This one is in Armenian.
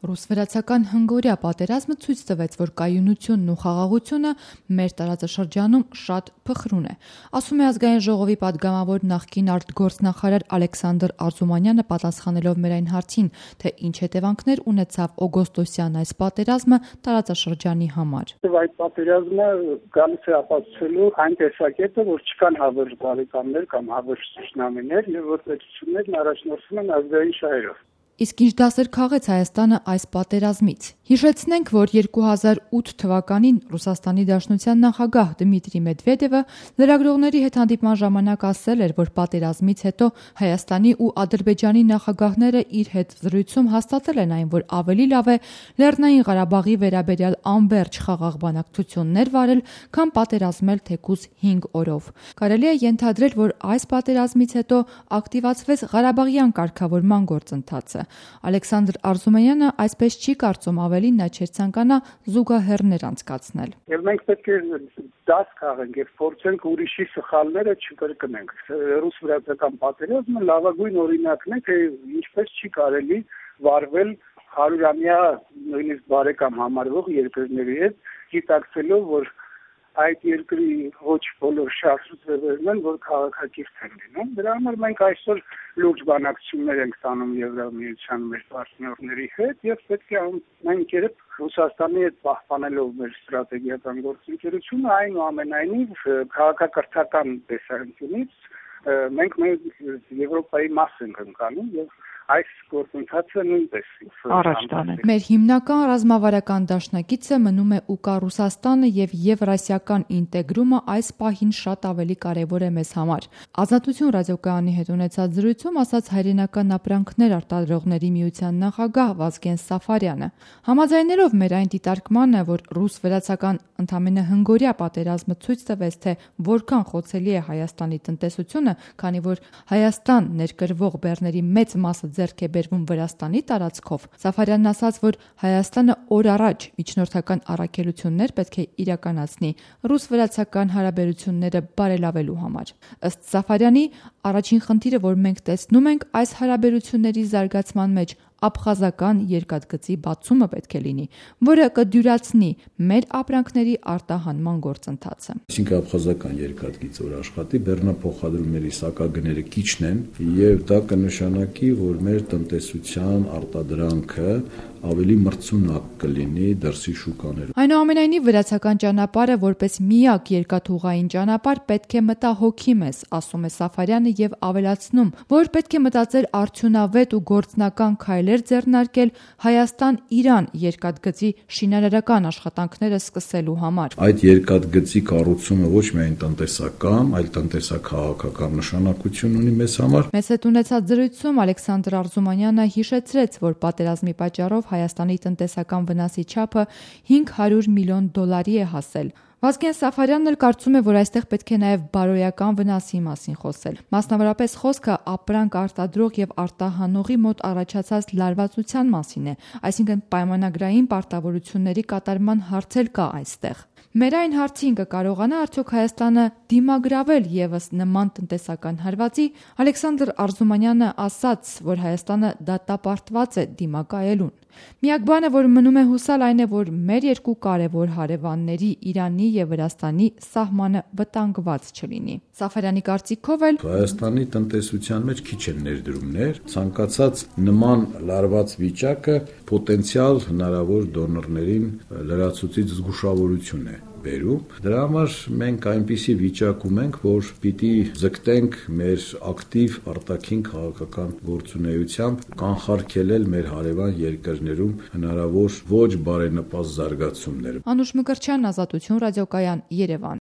Ռուս-վրացական հնգօրյա պատերազմը ցույց տվեց, որ կայունությունն ու խաղաղությունը մեր տարածաշրջանում շատ փխրուն է, ասում է Ազգային ժողովի պատգամավոր նախկին արտգործնախարար Ալեքսանդր Արզումանյանը, պատասխանելով մեր այն հարցին, թե ինչ հետևանքներ ունեցավ օգոստոսյան այս պատերազմը տարածաշրջանի համար։ Այդ պատերազմը գալիս է ապացուցելու այն տեսակետը, որ չկան հավերժ բարեկամներ կամ հավերժ թշնամիներ եւ որ պետություններն առաջնորդվում են ազգային շահերով։ Իսկ ինչ դասեր քաղեց Հայաստանը այս պատերազմից։ Հիշեցնենք, որ 2008 թվականին Ռուսաստանի Դաշնության նախագահ Դմիտրի Մեդվեդևը լրագրողների հետ հանդիպման ժամանակ ասել էր, որ պատերազմից հետո Հայաստանի ու Ադրբեջանի նախագահները իր հետ զրույցում հաստատել են այն, որ ավելի լավ է Լեռնային Ղարաբաղի վերաբերյալ անվերջ խաղաղ բանակցություններ վարել, քան պատերազմել թեկուզ 5 օրով։ Կարելի է ենթադրել, որ այս պատերազմից հետո ակտիվացվեց Ղարաբաղյան կարգավորման գործընթացը։ Ալեքսանդր Արզումանյանը այսպես չի կարծում, ավելին նա չէր ցանկանա զուգահեռներ անցկացնել։ Եվ մենք պետք է դաս քաղենք եւ փորձենք ուրիշի սխալները չկրկնենք։ Ռուս-վրացական պատերազմը լավագույն օրինակն է, թե ինչպես չի կարելի վարվել 100-ամյա նույնիսկ բարեկամ համարվող երկրների հետ, գիտակցելով, որ այդ երկրի ոչ բոլոր շահսուծերներն են, որ քաղաքակիրթ են լինում։ Դրա համար մենք այսօր լուրջ բանակցություններ ենք տանում Եվրամիության մեր պարտներների հետ եւ պետք է մենք երբ Ռուսաստանի հետ պահպանելով մեր ստրատեգիական գործընկերությունը, այնուամենայնիվ քաղաքակրթական տեսանկյունից մենք Եվրոպայի մաս ենք ընկալում եւ այս գործընթացը նույնպես առաջ տանել։ Մեր հիմնական ռազմավարական դաշնակիցը մնում է ՈՒԿԱ Ռուսաստանը եւ եվրասիական ինտեգրումը այս պահին շատ ավելի կարեւոր է մեզ համար։ Ազատություն ռադիոկայանի հետ ունեցած զրույցում ասաց Հայրենական ապրանքներ արտադրողների միության նախագահ Վազգեն Սաֆարյանը։ Համաձայնելով մեր այն դիտարկմանը, որ ռուս-վրացական ընդամենը հնգօրյա պատերազմը ցույց տվեց, թե որքան խոցելի է Հայաստանի տնտեսությունը, քանի որ Հայաստան ներկրվող բեռների մեծ մասը ձեռք է բերվում Վրաստանի տարածքով, Սաֆարյանն ասաց, որ Հայաստանը օր առաջ միջնորդական առաքելություններ պետք է իրականացնի ռուս-վրացական հարաբերությունները բարելավելու համար։ Ըստ Սաֆարյանի, առաջին խնդիրը, որ մենք տեսնում ենք այս հարաբերությունների զարգացման մեջ, աբխազական երկաթգծի բացումը պետք է լինի, որը կդյուրացնի մեր ապրանքների արտահանման գործընթացը։ Այսինքն աբխազական երկաթգիծ որ աշխատի, բեռնափոխադրումների սակագները քիչն են եւ դա կնշանակի, որ մեր տնտեսության արտադրանքը ավելի մրցունակ կլինի դրսի շուկաներում։ Այնուամենայնիվ վրացական ճանապարհը որպես միակ երկաթուղային ճանապարհ պետք է մտահոգի մեզ, ասում է Սաֆարյանը եւ ավելացնում, որ պետք է մտածել արդյունավետ ու գործնական քայլեր ձեռնարկել Հայաստան-Իրան երկաթգծի շինարարական աշխատանքները սկսելու համար։ Այդ երկաթգծի կառուցումը ոչ միայն տնտեսական, այլ տնտեսա-քաղաքական նշանակություն ունի մեզ համար։ Մեզ հետ ունեցած զրույցում Ալեքսանդր Արզումանյանը հիշեցրեց, որ պատերազմի պատճառով Հայաստանի տնտեսական վնասի չափը $500 միլիոն է հասել։ Վազգեն Սաֆարյանն էլ կարծում է, որ այստեղ պետք է նաև բարոյական վնասի մասին խոսել։ Մասնավորապես խոսքը ապրանք արտադրող եւ արտահանողի մոտ առաջացած լարվածության մասին է, այսինքն պայմանագրային պարտավորությունների կատարման հարց էլ կա այստեղ։ Մեր այն հարցին կկարողանա արդյոք Հայաստանը դիմագրավել եւս նման տնտեսական հարվածի, Ալեքսանդր Արզումանյանը ասաց, որ Հայաստանը դատապարտված է դիմակայելուն։ Միակ բանը, որ մնում է հուսալ, այն է, որ մեր երկու կարևոր հարևանների Իրանի եւ Վրաստանի սահմանը վտանգված չլինի։ Սաֆարյանի կարծիքով էլ Հայաստանի տնտեսության մեջ քիչ են ներդրումներ, ցանկացած նման լարված վիճակը պոտենցիալ հնարավոր դոնորներին լրացուցիչ զգուշավորություն է բերում։ Դրա համար մենք այնպիսի վիճակում ենք, որ պիտի ձգտենք մեր ակտիվ արտաքին քաղաքական գործունեությամբ կանխարգելել մեր հարևան երկրներում հնարավոր ոչ բարենպաստ զարգացումները։ Անուշ Մկրտչյան, Ազատություն ռադիոկայան, Երևան։